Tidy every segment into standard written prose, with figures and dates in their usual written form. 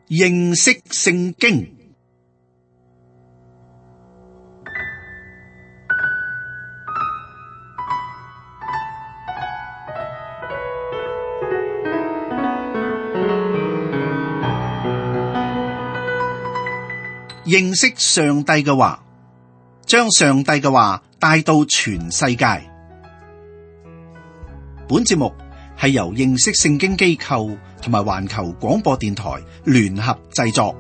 認識聖經。認識上帝嘅話，將上帝嘅話帶到全世界。本節目係由認識聖經機構同埋環球廣播電台聯合製作。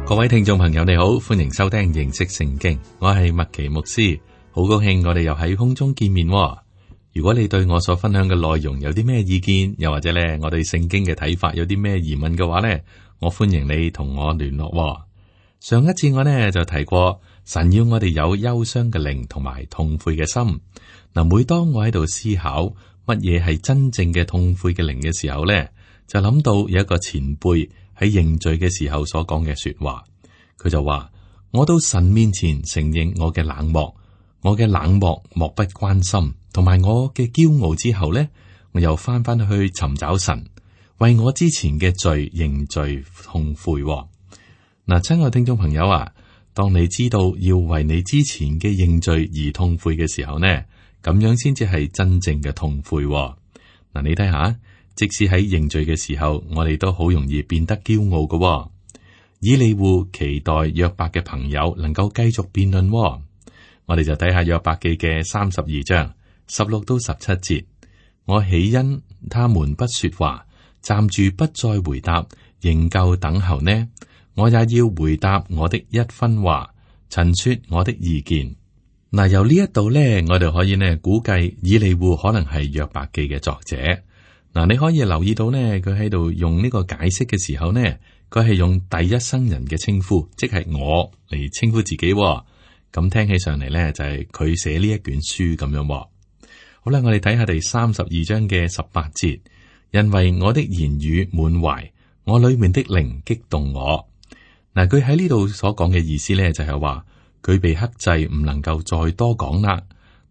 各位聽眾朋友，你好，歡迎收聽認識聖經，我係麥奇牧師，好高興我哋又喺空中見面。如果你對我所分享嘅內容有啲咩意見，又或者咧我對聖經嘅睇法有啲咩疑問嘅話咧，我歡迎你同我聯絡。上一次我呢就提過，神要我哋有憂傷嘅靈同埋痛悔嘅心。嗱，每當我喺度思考乜嘢係真正嘅痛悔嘅靈嘅時候咧，就諗到有一個前輩喺認罪嘅時候所講嘅說話，佢就話：我到神面前承認我嘅冷漠，我嘅冷漠漠不關心，同埋我嘅驕傲之後呢，我又翻返去尋找神，為我之前嘅罪認罪痛悔。嗱，親愛聽眾朋友啊，當你知道要為你之前嘅認罪而痛悔嘅時候呢，咁樣先至係真正嘅痛悔。嗱，你睇下。即使喺認罪嘅時候，我哋都好容易變得驕傲嘅。以利戶期待約伯嘅朋友能夠繼續辯論。我哋就睇下約伯記嘅32章16到17節。我豈因他們不說話，站住不再回答，仍舊等候呢？我也要回答我的一分話，陳說我的意見。嗱，由呢一度呢，我哋可以呢估計以利戶可能係約伯記嘅作者。嗱，你可以留意到呢，佢喺度用呢個解釋嘅時候呢，佢係用第一身人嘅稱呼，即係我嚟稱呼自己。咁聽起上嚟呢，就係佢寫呢一卷書咁樣。好啦，我哋睇下第32章嘅18節，因為我的言語滿懷，我裏面的靈激動我。嗱，佢喺呢度所講嘅意思呢，就係話佢被克制，唔能夠再多講啦。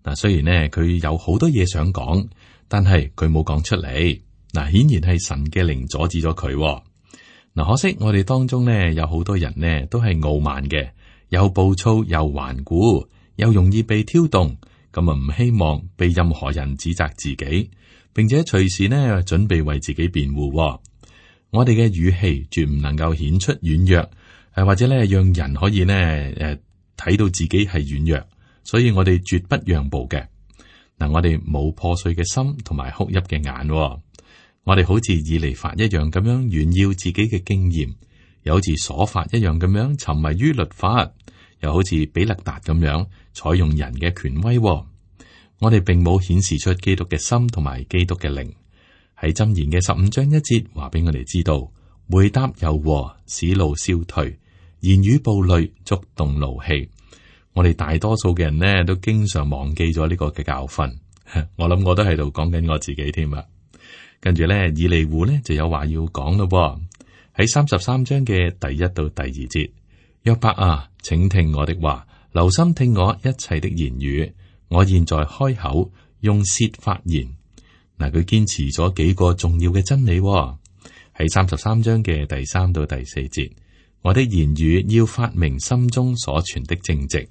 嗱，雖然呢，佢有好多嘢想講。但係佢冇講出嚟，嗱，顯然係神嘅靈阻止咗佢。嗱，可惜我哋當中呢，有好多人呢都係傲慢嘅，又暴躁又頑固，又容易被挑動，咁啊唔希望被任何人指責自己，並且隨時呢準備為自己辯護。我哋嘅語氣絕唔能夠顯出軟弱，或者咧讓人可以呢睇到自己係軟弱，所以我哋絕不讓步嘅。嗱，我哋冇破碎嘅心同埋哭泣嘅眼，我哋好似以利法一樣咁樣炫耀自己嘅經驗，又好似瑣法一樣咁樣沉迷於律法，又好似比勒達咁樣採用人嘅權威。我哋並冇顯示出基督嘅心同埋基督嘅靈。喺箴言嘅15章1節話俾我哋知道，回答柔和，使怒消退；言語暴戾，觸動怒氣。我哋大多數嘅人呢，都經常忘記咗呢個嘅教訓。我諗我都喺度講緊我自己添啊。跟住呢，以利戶呢就有話要講咯。喺33章嘅第1到第2節，約伯啊，請聽我的話，留心聽我一切的言語。我現在開口，用舌發言。嗱，佢堅持咗幾個重要嘅真理。喺33章嘅第3到第4節，我的言語要發明心中所存的正直。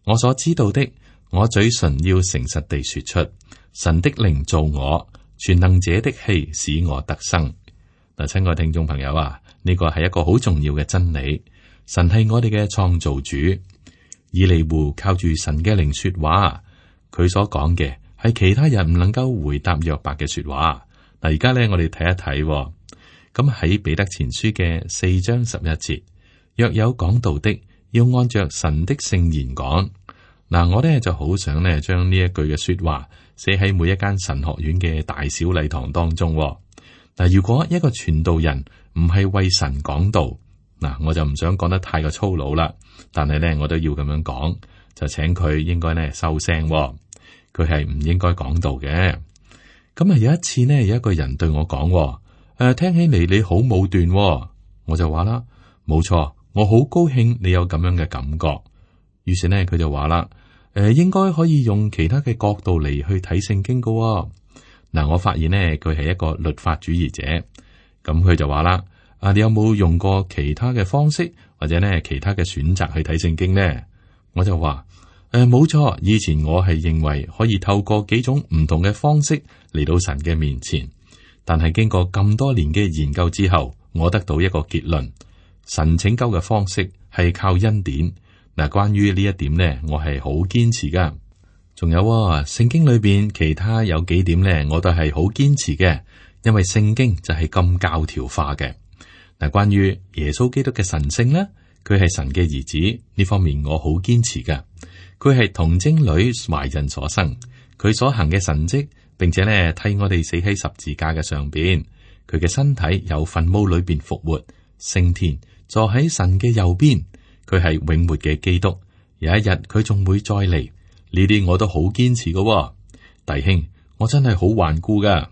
我所知道的，我嘴唇要誠實地說出。神的靈造我，全能者的氣使我得生。嗱，親愛聽眾朋友啊，呢個係一個好重要嘅真理。神係我哋嘅創造主。以利戶靠住神嘅靈說話，佢所講嘅係其他人唔能夠回答約伯嘅說話。嗱，而家咧我哋睇一睇，咁喺彼得前書嘅4章11節，若有講道的，要按着神的聖言講。嗱，我咧就好想咧將呢一句嘅說話寫喺每一間神學院嘅大小禮堂當中。嗱，如果一個傳道人唔係為神講道，嗱，我就唔想講得太過粗魯啦。但係咧，我都要咁樣講，就請佢應該咧收聲。佢係唔應該講道嘅。咁啊，有一次呢，有一個人對我講，聽起嚟你好武斷。我就話啦，冇錯，我好高興你有咁樣嘅感覺。於是呢，佢就話啦，應該可以用其他嘅角度嚟去睇聖經噶喎。嗱，我發現呢，佢係一個律法主義者，咁佢就話啦，你有冇用過其他嘅方式或者呢其他嘅選擇去睇聖經呢？我就話，冇錯，以前我係認為可以透過幾種唔同嘅方式嚟到神嘅面前，但係經過咁多年嘅研究之後，我得到一個結論：神拯救嘅方式係靠恩典。嗱，關於呢一點呢，我係好堅持噶。仲有聖經裏邊其他有幾點呢，我都係好堅持嘅，因為聖經就係咁教條化嘅。嗱，關於耶穌基督嘅神性呢，佢係神嘅兒子呢方面，我好堅持噶。佢係童貞女懷孕所生，佢所行嘅神蹟，並且呢替我哋死喺十字架嘅上邊，佢嘅身體由墳墓裏邊復活，升天，坐喺神嘅右邊。佢係永活嘅基督，有一日佢仲會再嚟。呢啲我都好堅持噶。弟兄，我真係好頑固噶。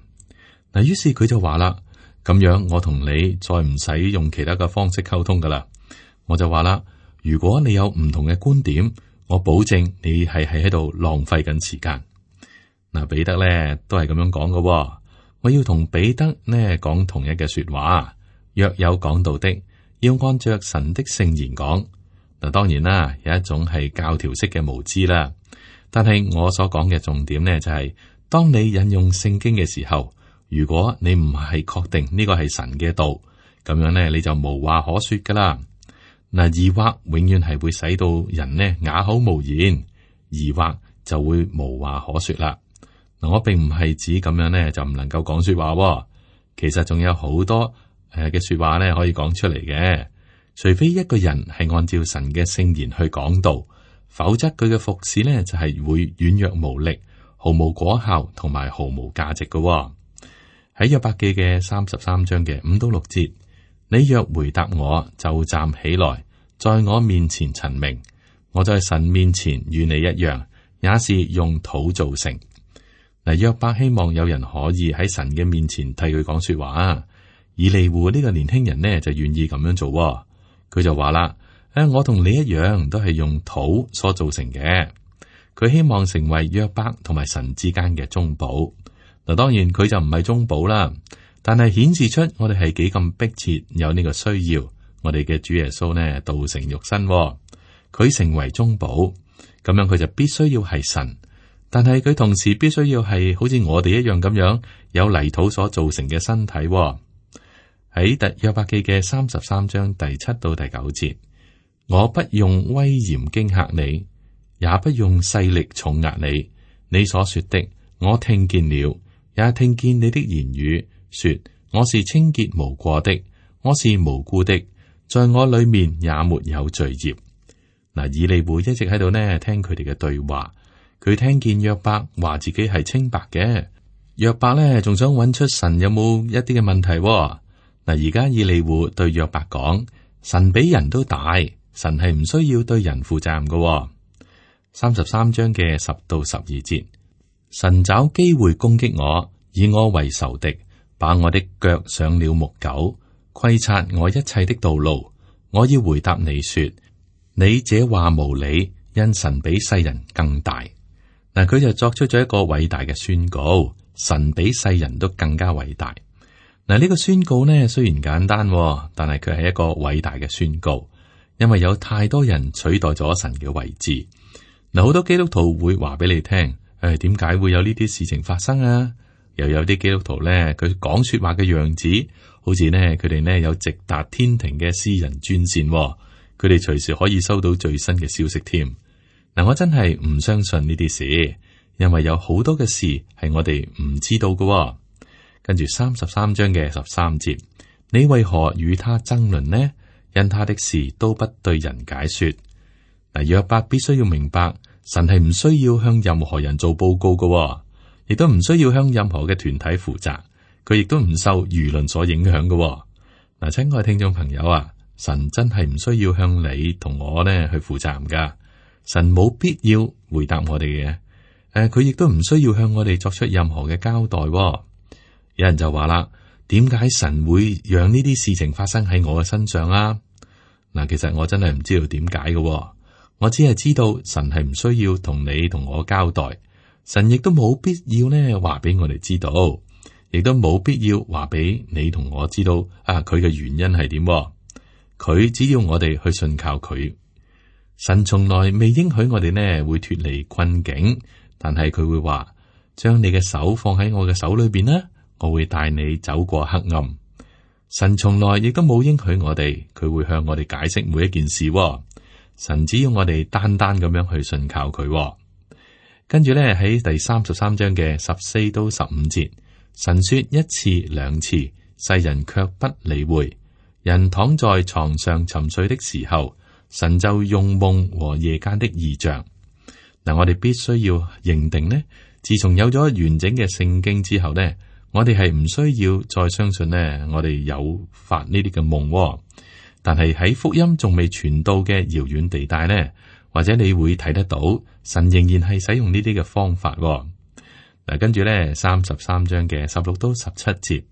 嗱，於是佢就話啦，咁樣我同你再唔使用其他嘅方式溝通噶啦。我就話啦，如果你有唔同嘅觀點，我保證你係喺度浪費緊時間。嗱，彼得咧都係咁樣講噶。我要同彼得呢講同一嘅說話，若有講道的，要按着神的聖言講。嗱，當然啦，有一種係教條式嘅無知啦。但係我所講嘅重點呢，就係當你引用聖經嘅時候，如果你唔係確定呢個係神嘅道，咁樣呢，你就無話可說噶啦。嗱，疑惑永遠係會使到人呢啞口無言，疑惑就會無話可說啦。嗱，我並唔係指咁樣呢就唔能夠講說話，其實仲有好多嘅說話呢可以講出嚟嘅。除非一個人係按照神嘅聖言去講道，否則佢嘅服侍呢就係會軟弱無力、毫無果效同埋毫無價值嘅。喺約伯記嘅33章嘅5到6節，你若回答我，就站起來，在我面前陳明，我在神面前與你一樣，也是用土造成。嗱，約伯希望有人可以喺神嘅面前替佢講說話。以利戶呢個年輕人呢就願意咁樣做。佢就話啦，我同你一樣，都係用土所造成嘅。佢希望成為約伯同埋神之間嘅中保。嗱，當然佢就唔係中保啦，但係顯示出我哋係幾咁迫切有呢個需要。我哋嘅主耶穌呢，道成肉身，佢成為中保，咁樣佢就必須要係神，但係佢同時必須要係好似我哋一樣咁樣有泥土所造成嘅身體。喺約伯記嘅33章第7到第9節，我不用威嚴驚嚇你，也不用勢力重壓你。你所說的，我聽見了，也聽見你的言語，說我是清潔無過的，我是無辜的，在我裏面也沒有罪孽。嗱，以利戶一直喺度呢聽佢哋嘅對話，佢聽見約伯話自己係清白嘅，約伯呢仲想揾出神有冇一啲嘅問題。嗱，而家以利戶對約伯講，神比人都大，神係唔需要對人負責任嘅。33章嘅10到12節，神找機會攻擊我，以我為仇敵，把我的腳上了木狗，窺察我一切的道路。我要回答你說，你這話無理，因神比世人更大。嗱，佢就作出咗一個偉大嘅宣告，神比世人都更加偉大。嗱，呢個宣告呢，雖然簡單，但係佢係一個偉大嘅宣告，因為有太多人取代咗神嘅位置。嗱，好多基督徒會話俾你聽，點解會有呢啲事情發生啊？又有啲基督徒呢，佢講說話嘅樣子，好似呢，佢哋呢有直達天庭嘅私人專線，佢哋隨時可以收到最新嘅消息添。嗱，我真係唔相信呢啲事，因為有好多嘅事係我哋唔知道嘅。跟住33章嘅13節，你為何與他爭論呢？因他的事都不對人解說。嗱，約伯必須要明白，神係唔需要向任何人做報告嘅，亦都唔需要向任何嘅團體負責，佢亦都唔受輿論所影響嘅。嗱，親愛聽眾朋友啊，神真係唔需要向你同我呢去負責任噶，神冇必要回答我哋嘅，佢亦都唔需要向我哋作出任何嘅交代。有人就話啦，點解神會讓呢啲事情發生喺我嘅身上啊？嗱，其實我真係唔知道點解嘅，我只係知道神係唔需要同你同我交代，神亦都冇必要呢話俾我哋知道，亦都冇必要話俾你同我知道啊，佢嘅原因係點？佢只要我哋去信靠佢。神從來未應許我哋呢會脫離困境，但係佢會話，將你嘅手放喺我嘅手裏邊啦，我會帶你走過黑暗。神從來亦都冇應許我哋，佢會向我哋解釋每一件事。神只要我哋單單咁樣去信靠佢。跟住咧喺第33章嘅14到15節，神說一次兩次，世人卻不理會。人躺在床上沉睡的時候，神就用夢和夜間的異象。嗱，我哋必須要認定呢，自從有咗完整嘅聖經之後呢，我哋係唔需要再相信呢，我哋有發呢啲嘅夢。但係喺福音仲未傳到嘅遙遠地帶呢，或者你會睇得到神仍然係使用呢啲嘅方法。嗱，跟住咧33章嘅16到17節，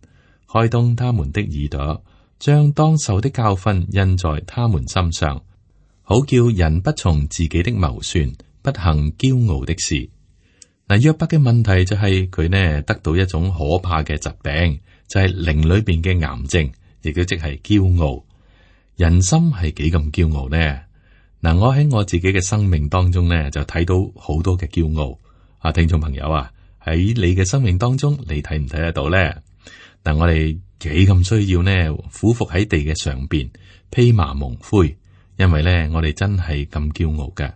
開通他們的耳朵，將當受的教訓印在他們心上，好叫人不從自己的謀算，不行驕傲的事。嗱，約伯嘅問題就係佢呢得到一種可怕嘅疾病，就係靈裏邊嘅癌症，亦都即係驕傲。人心係幾咁驕傲呢？嗱，我喺我自己嘅生命當中呢，就睇到好多嘅驕傲。啊，聽眾朋友啊，喺你嘅生命當中，你睇唔睇得到呢？嗱，我哋幾咁需要呢，俯伏喺地嘅上邊，披麻蒙灰，因為呢，我哋真係咁驕傲嘅。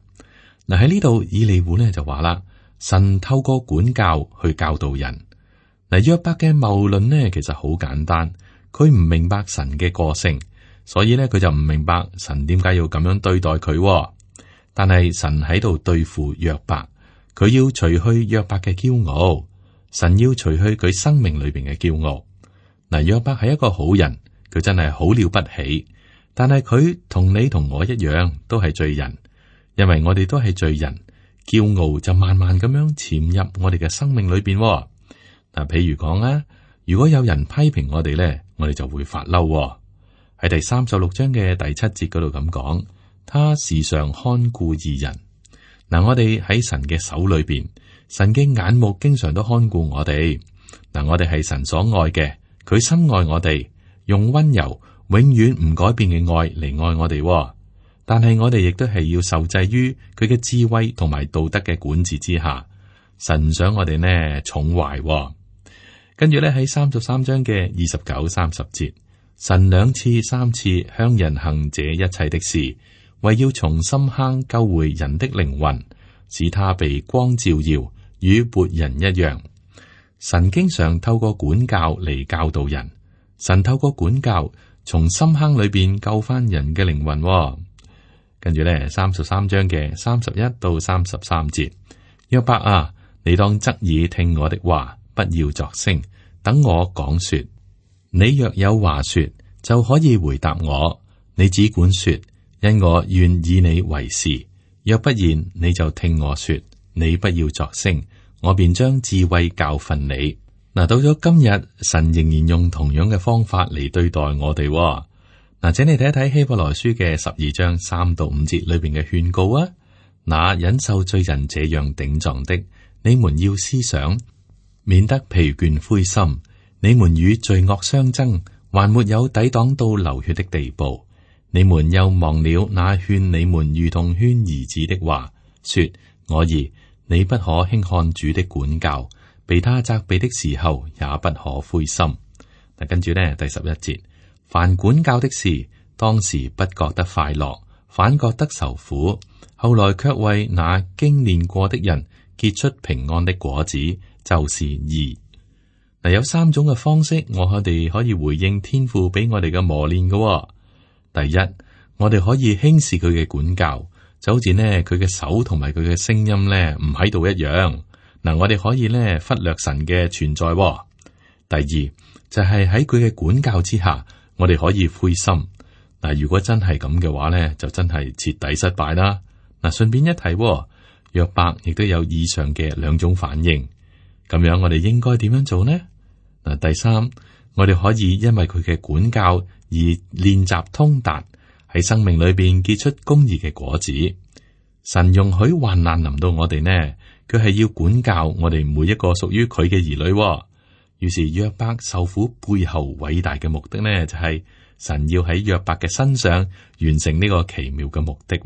嗱，喺呢度，以利戶呢就話啦，神透過管教去教導人。嗱，約伯嘅謬論呢，其實好簡單，佢唔明白神嘅個性。所以咧，佢就唔明白神點解要咁樣對待佢。但係神喺度對付約伯，佢要除去約伯嘅驕傲，神要除去佢生命裏邊嘅驕傲。嗱，約伯係一個好人，佢真係好了不起。但係佢同你同我一樣，都係罪人，因為我哋都係罪人，驕傲就慢慢咁樣潛入我哋嘅生命裏邊。嗱，譬如講啊，如果有人批評我哋咧，我哋就會發嬲。喺第36章嘅第7節嗰度咁講，他時常看顧義人。嗱，我哋喺神嘅手裏邊，神嘅眼目經常都看顧我哋。嗱，我哋係神所愛嘅，佢深愛我哋，用溫柔永遠唔改變嘅愛嚟愛我哋。但係我哋亦都係要受制於佢嘅智慧同埋道德嘅管治之下。神唔想我哋呢寵壞。跟住咧喺33章嘅29、30節。神2次、3次向人行這一切的事，為要從深坑救回人的靈魂，使他被光照耀，與活人一樣。神經常透過管教嚟教導人，神透過管教從深坑裏邊救翻人嘅靈魂。跟住咧33章嘅31到33節，約伯啊，你當側耳聽我的話，不要作聲，等我講說。你若有話說，就可以回答我。你只管說，因我願以你為是。若不然，你就聽我說。你不要作聲，我便將智慧教訓你。嗱，到咗今日，神仍然用同樣嘅方法嚟對待我哋。嗱，請你睇一睇希伯來書嘅12章3到5節裏邊嘅勸告啊。那忍受罪人這樣頂撞的，你們要思想，免得疲倦灰心。你們與罪惡相爭，還沒有抵擋到流血的地步。你們又忘了那勸你們如同勸兒子的話，說：我兒，你不可輕看主的管教，被他責備的時候也不可灰心。嗱，跟住呢第11節，凡管教的事，當時不覺得快樂，反覺得受苦，後來卻為那經練過的人結出平安的果子，就是義。嗱，有3種嘅方式，我哋可以回應天父俾我哋嘅磨練嘅。第一，我哋可以輕視佢嘅管教，就好似呢佢嘅手同埋佢嘅聲音呢唔喺度一樣。嗱，我哋可以呢忽略神嘅存在。第二，就係喺佢嘅管教之下，我哋可以灰心。嗱，如果真係咁嘅話呢，就真係徹底失敗啦。嗱，順便一提，約伯亦都有以上嘅2種反應。咁樣我哋應該點樣做呢？嗱，第三，我哋可以因為佢嘅管教而練習通達，喺生命裏邊結出公義嘅果子。神容許患難臨到我哋呢，佢係要管教我哋每一個屬於佢嘅兒女。於是約伯受苦背後偉大嘅目的呢，就係神要喺約伯嘅身上完成呢個奇妙嘅目的。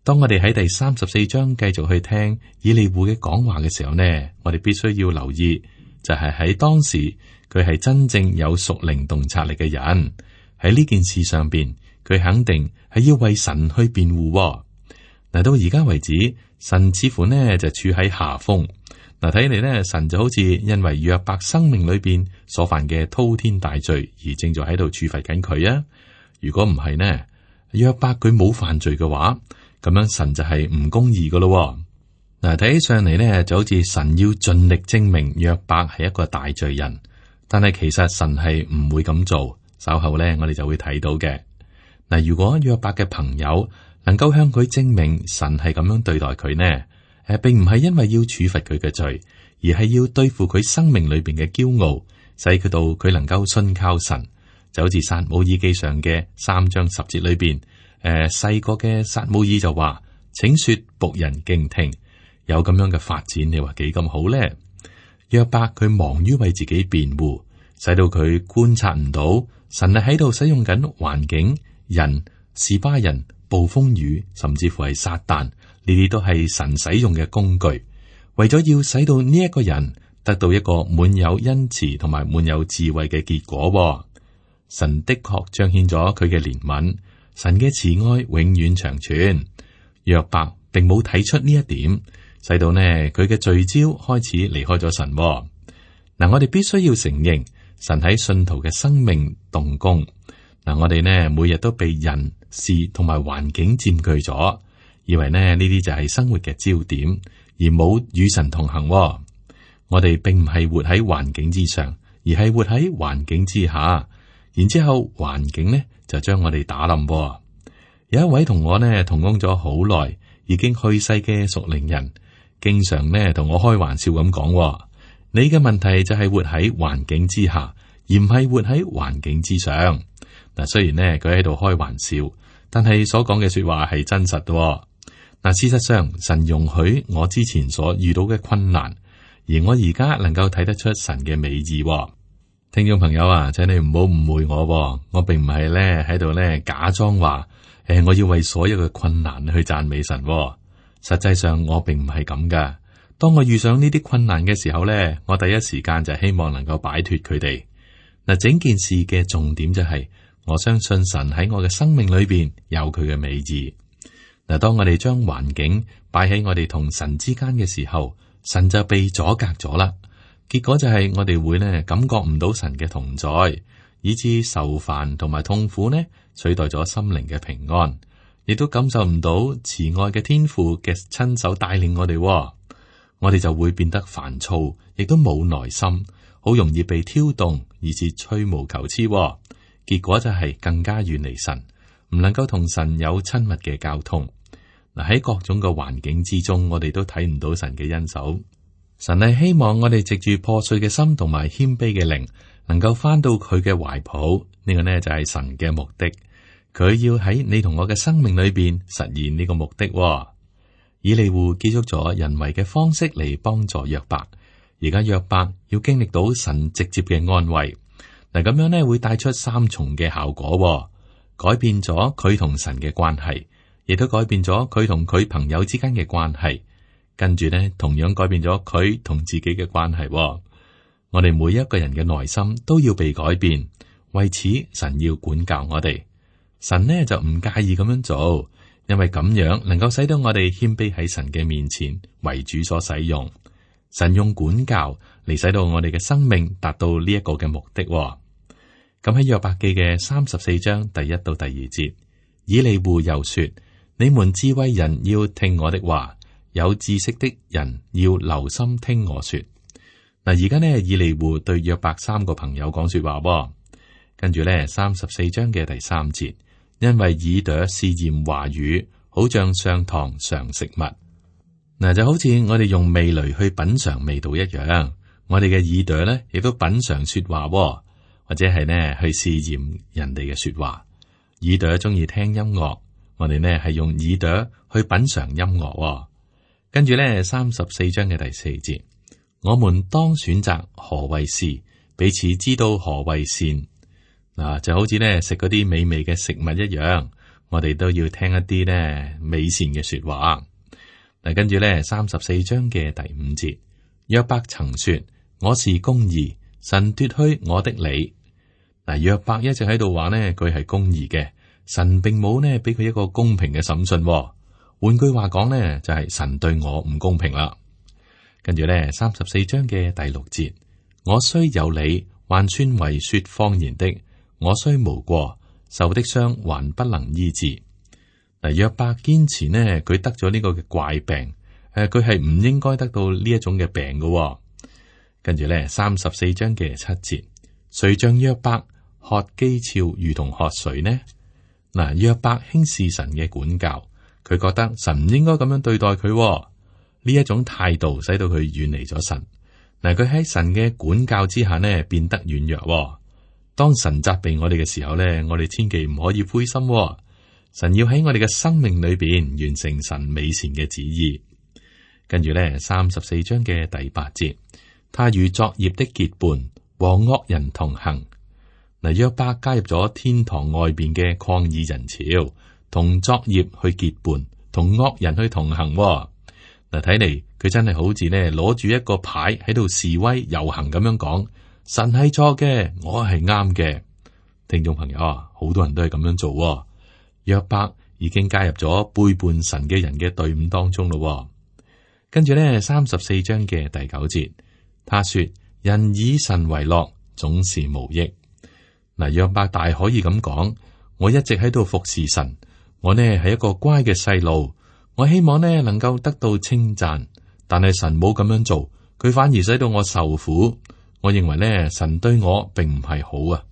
當我哋喺第34章繼續去聽以利戶嘅講話嘅時候呢，我哋必須要留意，就係喺當時佢係真正有屬靈洞察力嘅人，喺呢件事上邊，佢肯定係要為神去辯護。嗱，到而家為止，神似乎呢就處喺下風。嗱，睇嚟呢，神就好似因為約伯生命裏邊所犯嘅滔天大罪而正在喺度處罰緊佢啊。如果唔係呢，約伯佢冇犯罪嘅話，咁樣神就係唔公義噶咯。嗱，睇起上嚟呢，就好似神要盡力證明約伯係一個大罪人，但係其實神係唔會咁做。稍後呢，我哋就會睇到嘅。嗱，如果約伯嘅朋友能夠向佢證明神係咁樣對待佢呢，並唔係因為要處罰佢嘅罪，而係要對付佢生命裏邊嘅驕傲，使佢到佢能夠信靠神。就好似撒母耳記上嘅3章10節裏邊，細個嘅撒母耳就話：請說僕人敬聽。有咁樣嘅發展，你話幾咁好呢？約伯佢忙於為自己辯護，使到佢觀察唔到神係喺度使用緊環境、人、示巴人、暴風雨，甚至乎係撒旦，呢啲都係神使用嘅工具，為咗要使到呢一個人得到一個滿有恩慈同埋滿有智慧嘅結果。神的確彰顯咗佢嘅憐憫，神嘅慈愛永遠長存。約伯並冇睇出呢一點，使到呢佢嘅聚焦開始離開咗神。嗱，我哋必須要承認神喺信徒嘅生命動工。嗱，我哋呢每日都被人事同埋環境佔據咗，以為呢啲就係生活嘅焦點，而冇與神同行。我哋並唔係活喺環境之上，而係活喺環境之下。然之後環境呢就將我哋打冧。有一位同我呢同工咗好耐，已經去世嘅屬靈人，經常呢同我開玩笑咁講：你嘅問題就係活喺環境之下，而唔係活喺環境之上。嗱，雖然呢佢喺度開玩笑，但係所講嘅說話係真實嘅。嗱，事實上神容許我之前所遇到嘅困難，而我而家能夠睇得出神嘅美意。聽眾朋友啊，請你唔好誤會我並唔係咧喺度咧假裝話，我要為所有嘅困難去讚美神。實際上我並唔係咁噶。當我遇上呢啲困難嘅時候咧，我第一時間就希望能夠擺脫佢哋。嗱，整件事嘅重點就係，我相信神喺我嘅生命裏邊有佢嘅美意。嗱，當我哋將環境擺喺我哋同神之間嘅時候，神就被阻隔咗啦。結果就係我哋會呢感覺唔到神嘅同在，以致受煩同埋痛苦呢取代咗心靈嘅平安，亦都感受唔到慈愛嘅天父嘅親手帶領我哋。我哋就會變得煩躁，亦都冇耐心，好容易被挑動，以致吹毛求疵。結果就係更加遠離神，唔能夠同神有親密嘅交通。嗱，喺各種嘅環境之中，我哋都睇唔到神嘅恩手。神係希望我哋藉住破碎嘅心同埋謙卑嘅靈，能夠翻到佢嘅懷抱。呢個呢就係神嘅目的。佢要喺你同我嘅生命裏邊實現呢個目的。以利戶結束咗人為嘅方式嚟幫助約伯，而家約伯要經歷到神直接嘅安慰。嗱，咁樣呢會帶出3重嘅效果，改變咗佢同神嘅關係，亦都改變咗佢同佢朋友之間嘅關係。跟住呢，同樣改變咗佢同自己嘅關係。我哋每一個人嘅內心都要被改變，為此神要管教我哋。神呢就唔介意咁樣做，因為咁樣能夠使到我哋謙卑喺神嘅面前，為主所使用。神用管教嚟使到我哋嘅生命達到呢一個嘅目的。咁喺約伯記嘅34章第1到第2節，以利戶又說：你們智慧人要聽我的話，有知識的人要留心聽我說。嗱，而家呢，以利戶對約伯3個朋友講說話。跟住呢，34章嘅第3節，因為耳朵試驗話語，好像上膛嘗食物。嗱，就好似我哋用味蕾去品嘗味道一樣，我哋嘅耳朵呢亦都品嘗說話，或者係呢去試驗人哋嘅說話。耳朵中意聽音樂，我哋呢係用耳朵去品嘗音樂。跟住呢34章嘅第4節，我們當選擇何為是，彼此知道何為善。嗱，就好似呢食嗰啲美味嘅食物一樣，我哋都要聽一啲呢美善嘅說話。嗱，跟住呢34章嘅第5節，約伯曾說：我是公義，神奪去我的理。嗱，約伯一直喺度話呢，佢係公義嘅，神並冇呢俾佢一個公平嘅審訊。換句話講呢，就係神對我唔公平啦。跟住呢34章嘅第6節，我雖有理，還算為說謊言的；我雖無過，受的傷還不能醫治。嗱，約伯堅持呢，佢得咗呢個嘅怪病，佢係唔應該得到呢一種嘅病嘅。跟住呢34章嘅7節，誰像約伯喝譏誚如同喝水呢？嗱，約伯輕視神嘅管教，佢覺得神唔應該咁樣對待佢。呢一種態度使到佢遠離咗神。嗱，佢喺神嘅管教之下呢，變得軟弱。當神責備我哋嘅時候呢，我哋千祈唔可以灰心。神要喺我哋嘅生命裏邊完成神美善嘅旨意。跟住呢34章嘅第8節，他與作孽的結伴，和惡人同行。嗱，約伯加入咗天堂外邊嘅抗議人潮，同作孽去結伴，同惡人去同行。嗱，睇嚟佢真係好似呢攞住一個牌喺度示威遊行咁樣講，神係錯嘅，我係啱嘅。聽眾朋友啊，好多人都係咁樣做。約伯已經加入咗背叛神嘅人嘅隊伍當中咯。跟住呢34章嘅第9節，他說：人以神為樂，總是無益。嗱，約伯大可以咁講，我一直喺度服侍神，我呢係一個乖嘅細路。我希望呢能夠得到稱讚，但係神冇咁樣做，佢反而使到我受苦。我認為呢神對我並唔係好啊。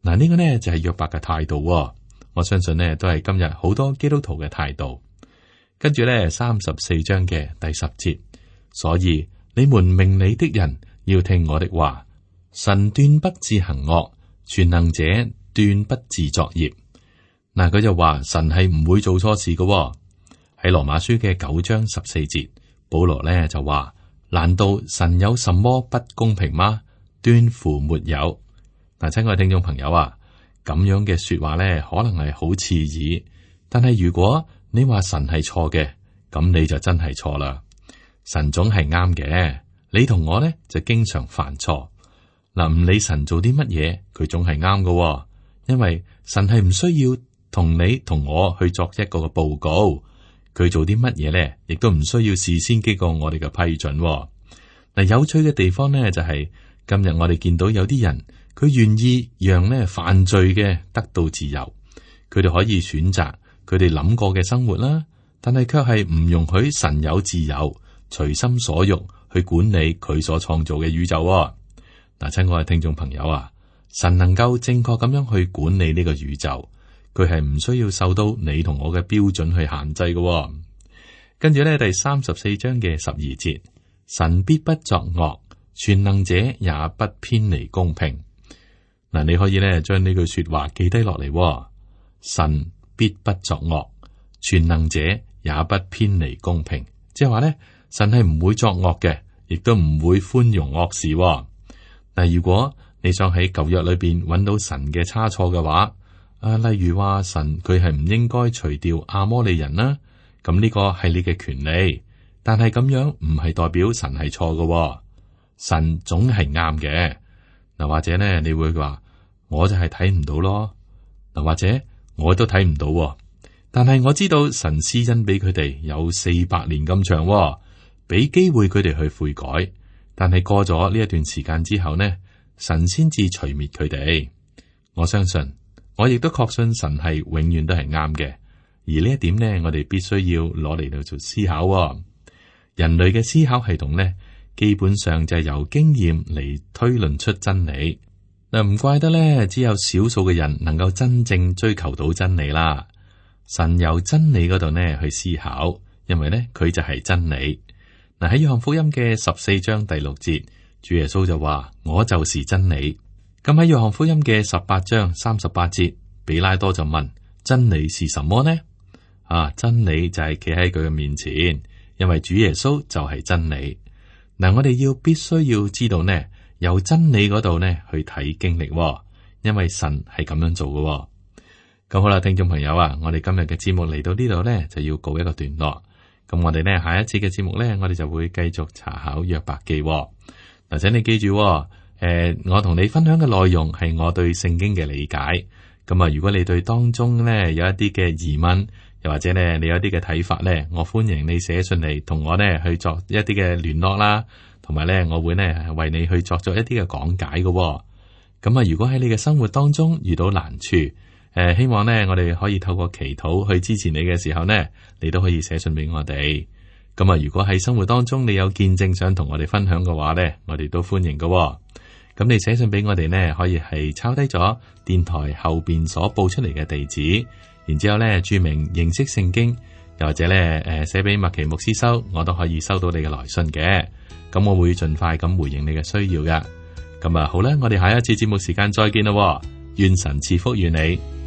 嗱，呢個呢就係約伯嘅態度。我相信呢都係今日好多基督徒嘅態度。跟住呢34章嘅第10節，所以你們明理的人要聽我的話。神斷不致行惡，全能者斷不致作孽。嗱，佢就話神係唔會做錯事嘅。喺羅馬書嘅9章14節，保羅呢就話：難道神有什麼不公平嗎？斷乎沒有。嗱，親愛聽眾朋友啊，咁樣嘅說話呢，可能係好刺耳，但係如果你話神係錯嘅，咁你就真係錯啦。神總係啱嘅，你同我呢就經常犯錯。嗱，唔理神做啲乜嘢，佢總係啱嘅，因為神係唔需要同你同我去作一個嘅報告。佢做啲乜嘢咧，亦都唔需要事先經過我哋嘅批准。嗱，有趣嘅地方呢，就係今日我哋見到有啲人，佢願意讓呢犯罪嘅得到自由，佢哋可以選擇佢哋諗過嘅生活啦，但係卻係唔容許神有自由，隨心所欲去管理佢所創造嘅宇宙。嗱，親愛嘅聽眾朋友啊，神能夠正確咁樣去管理呢個宇宙。佢係唔需要受到你同我嘅標準去限制嘅。跟住呢，第34章嘅12節，神必不作惡，全能者也不偏離公平。嗱，你可以呢將呢句說話記低落嚟。神必不作惡，全能者也不偏離公平，即係話呢，神係唔會作惡嘅，亦都唔會寬容惡事。嗱，如果你想喺舊約裏邊揾到神嘅差錯嘅話，例如話神佢係唔應該除掉亞摩利人啦，咁呢個係你嘅權利，但係咁樣唔係代表神係錯嘅，神總係啱嘅。嗱，或者呢你會話我就係睇唔到咯，嗱，或者我都睇唔到，但係我知道神施恩俾佢哋有400年咁長，俾機會佢哋去悔改，但係過咗呢一段時間之後呢，神先至除滅佢哋。我相信。我亦都確信神係永遠都係啱嘅，而呢一點呢，我哋必須要攞嚟到做思考。人類嘅思考系統呢，基本上就係由經驗嚟推論出真理。嗱，唔怪得呢，只有少數嘅人能夠真正追求到真理啦。神由真理嗰度呢去思考，因為呢，佢就係真理。嗱，喺約翰福音嘅14章第6節，主耶穌就話：我就是真理。咁喺約翰福音嘅18章38節，比拉多就問：真理是什麼呢？真理就係企喺佢嘅面前，因為主耶穌就係真理。嗱，我哋必須要知道呢，由真理嗰度呢去睇經歷，因為神係咁樣做嘅。咁好啦，聽眾朋友啊，我哋今日嘅節目嚟到呢度呢，就要告一個段落。咁我哋呢下一次嘅節目呢，我哋就會繼續查考約伯記。嗱，請你記住，我同你分享嘅內容係我對聖經嘅理解。咁啊，如果你對當中呢有一啲嘅疑問，又或者呢你有一啲嘅睇法呢，我歡迎你寫信嚟同我呢去作一啲嘅聯絡啦，同埋呢我會呢為你去作一啲嘅講解嘅。咁啊，如果喺你嘅生活當中遇到難處，希望呢我哋可以透過祈禱去支持你嘅時候呢，你都可以寫信俾我哋。咁啊，如果喺生活當中你有見證想同我哋分享嘅話呢，我哋都歡迎嘅。咁你寫信俾我哋呢，可以係抄低咗電台後邊所報出嚟嘅地址，然之後呢注明認識聖經，又或者呢寫俾麥奇牧師收，我都可以收到你嘅來信嘅。咁我會盡快咁回應你嘅需要噶。咁啊好啦，我哋下一次節目時間再見啦，願神賜福與你。